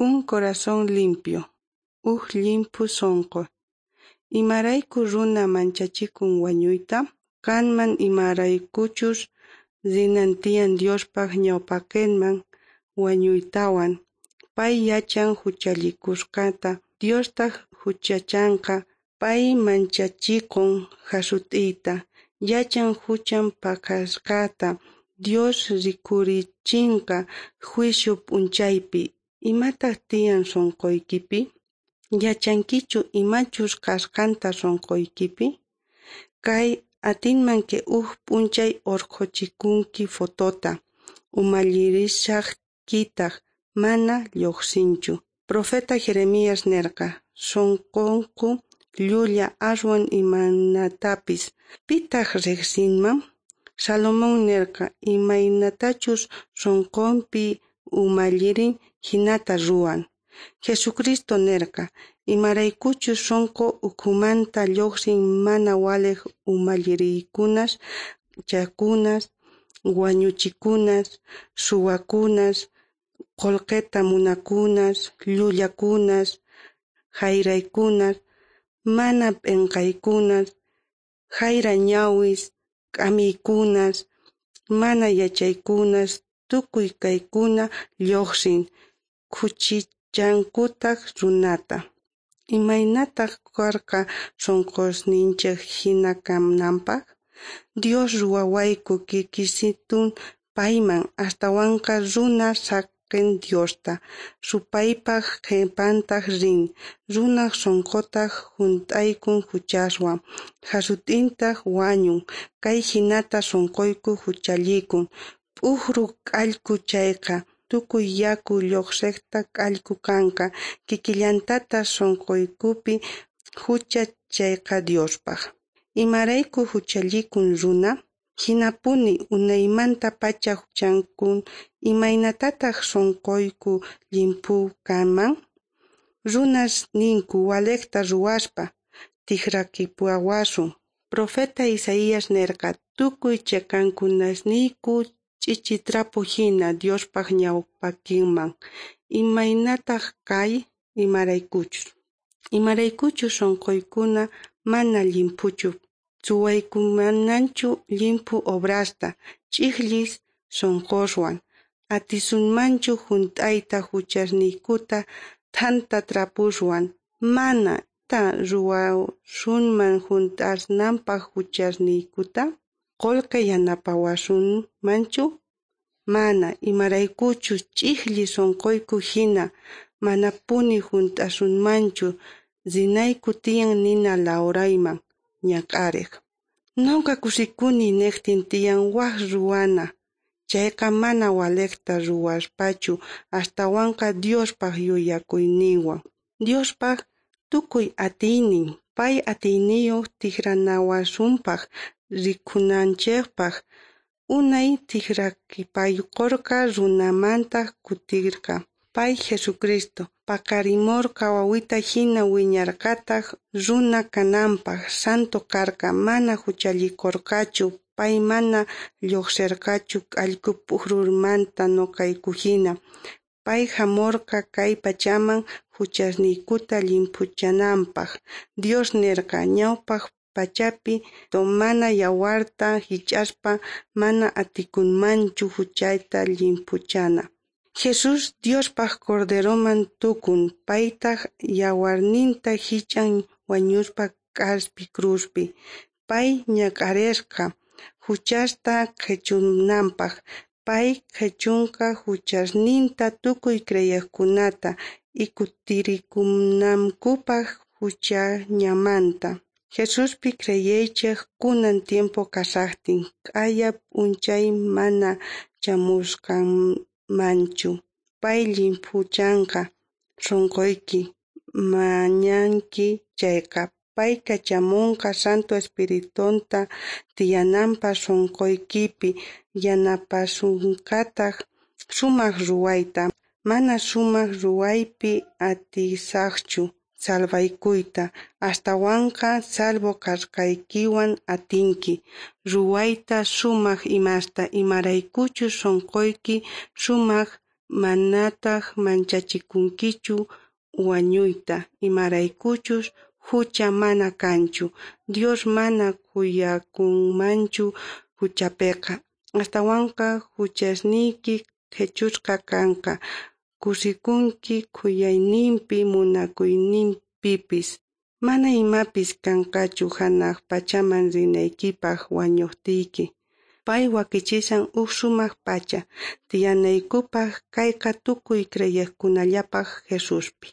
Un corazón limpio. Uj llimphu sonqo. Imarayku runa manchachikun wañuyta? Kanman imaraykuchus rinan tiyan Diospaj ñawpaqenman wañuytawan. Pay yachan juchallikusqanta, Diostaj juchachanqa. Pay manchachikun jasut'iyta, yachan juchan pakasqata Dios rikhurichinqa juicio p'unchaypi. Imataq tiyan sonqoykipi? Yachankichu imachus kasqanta sonqoykipi? Kay atinman ke uj p'unchay urqhuchikunki fotota, umallirishajtiykitaj mana lluqsinchu. Profeta Jeremías nerqa, Sonqonku llulla aswan imanatapis, pitaq riqsinman? Salomón nerqa, Imaynatachus sonqompi umallirin, jinata ruwan. Jesucristo nerqa, Imaraykuchus sonqo ukhumanta lluqsin mana waliq umalliriykunas, chakunas, wañuchikunas, suwakunas, qolqeta munakunas, llullakunas, jayraykunas, mana p'enqaykunas, jayra ñawis, k'amiykunas, mana yachaykunas, tukuy kaykuna lluqsin, khuchichankutaq runata. Imaynataq karqa sonqosninchej jina kananpaq? Dios ruwawayku kikisitun payman, astawanqa runa saqen Diosta, supaypaj qhepantaj rin. Runaj sonqotaj junt'aykun juchaswan, jasut'intaj wañun. Kay jinata sonqoyku juchallikun. P'ujru k'allku chayqa, tukuy yaku lluqsejta k'allku kanqa. Kikillantataj sonqoykupi jucha chayqa Diospaj. Imarayku juchallikun runa? Jinapuni unaymantapacha juchankun. Imaynatataj sonqoyku llimphu kanman? Runas ninku walejta ruwaspa, tijrakipuwasun. Profeta Isaías nerqa, Tukuy cheqankunasniyku ch'ichi trapo jina Diospaj ñawpaqenman. Imaynataj kay? Imaraykuchus. Imaraykuchus sonqoykuna mana llimphuchu. Suwaykumanchu llimphu obrasta, ch'ijllis sonqoswan. Atisunmanchu junt'ayta juchasniykuta thanta trapuswan? Mana. Imata ruwasunman junt'asnanpaj juchasniykuta? Qolqe yanapawasunmanchu? Mana, imaraykuchus ch'ijlli sonqoyku jina manapuni junt'asunmanchu. Rinayku tiyan nina lawrayman ñak'arej. Noqa kusikuni nejtin tiyan waj ruwana. Chayqa mana walejta ruwaspachu, astawanqa Diospaj yuyakuyninwan. Diospaj tukuy atiynin, pay atiyniyoj tijranawasunpaj rikunanchejpaj. Unay tijrakipaykorqa, runamantaj kutirqa. Pay Jesucristo paqarimorqa wawita jina, wiñarqataj runa kananpaj, santo karqa, mana juchallikorqachu. Pay mana lluqserqachu k'allku p'ujrumanta noqayku jina. Pay jamorqa kay pachaman juchasniykuta llimphuchananpaj. Dios nerqa, ñawpaj pachapi mana yawarta jich'aspa mana atikunmanchu juchata llimphuchana. Jesús Diospaj Corderoman tukun, paytaj yawarninta jich'an wañuspa k'aspi cruzpi. Pay ñak'aresqa juchasta qhechunanpaj. Pay qhechunqa juchasninta tukuy creyejkunata y kutirikunankupaj juchañamanta. Jesuspi creyeychej kunan tiempo kashajtin, q'aya p'unchay mana chamusqanmanchu. Pay llimphuchanqa sonqoyki, mañanki chayqa. Pay kachamonqa Santo Espiritunta tiyananpaj sonqoykipi, yanapasunqataj sumaj ruwayta. Mana sumaj ruwaypi atisajchu salvaykuyta, astawanqa salvo kasqaykiwan atinki ruwayta sumaj imasta, imaraykuchus sonqoyki sumaj Manataj manchachikunkichu wañuyta, imaraykuchus jucha mana kanchu. Dios mana khuyakunmanchu juchapeqa. Astawanqa juchasniyki qhechusqa kanqa. Kusikunki khuyayninpi munakuyninpipis. Mana imapis kanqachu janaj pachaman rinaykipaj wañojtiyki. Pay wakichishan uj sumaj pacha tiyanaykupaj, kayqa tukuy creyejkunallapaj Jesuspi.